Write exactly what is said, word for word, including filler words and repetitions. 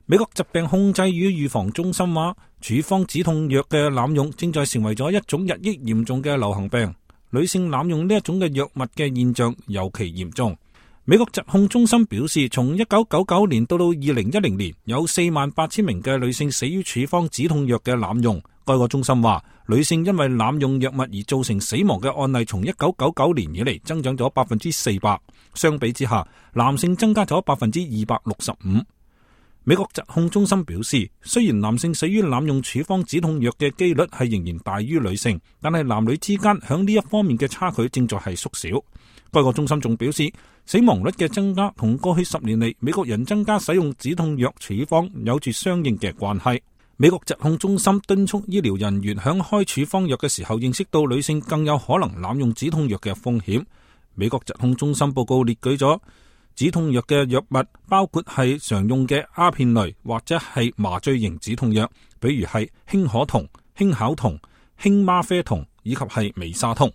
美國疾病控制與預防中心話，處方止痛藥嘅濫用正在成為咗一種日益嚴重嘅流行病。女性濫用呢一種嘅藥物嘅現象尤其嚴重。美國疾控中心表示，從一九九九年到到二零一零年，有四萬八千名嘅女性死於處方止痛藥嘅濫用。該個中心話，女性因為濫用藥物而造成死亡嘅案例，從一九九九年以嚟增長咗百分之四百。相比之下，男性增加咗百分之二百六十五。美國疾控中心表示，雖然男性死於濫用處方止痛藥嘅幾率係仍然大於女性，但係男女之間響呢一方面嘅差距正在係縮小。該個中心仲表示，死亡率嘅增加同過去十年嚟美國人增加使用止痛藥處方有住相應嘅關係。美國疾控中心敦促醫療人員響開處方藥嘅時候，認識到女性更有可能濫用止痛藥嘅風險。美國疾控中心報告列舉咗止痛藥嘅藥物，包括係常用嘅鴉片類或者係麻醉型止痛藥，比如係氫可酮、氫考酮、氫嗎啡酮以及係美沙酮。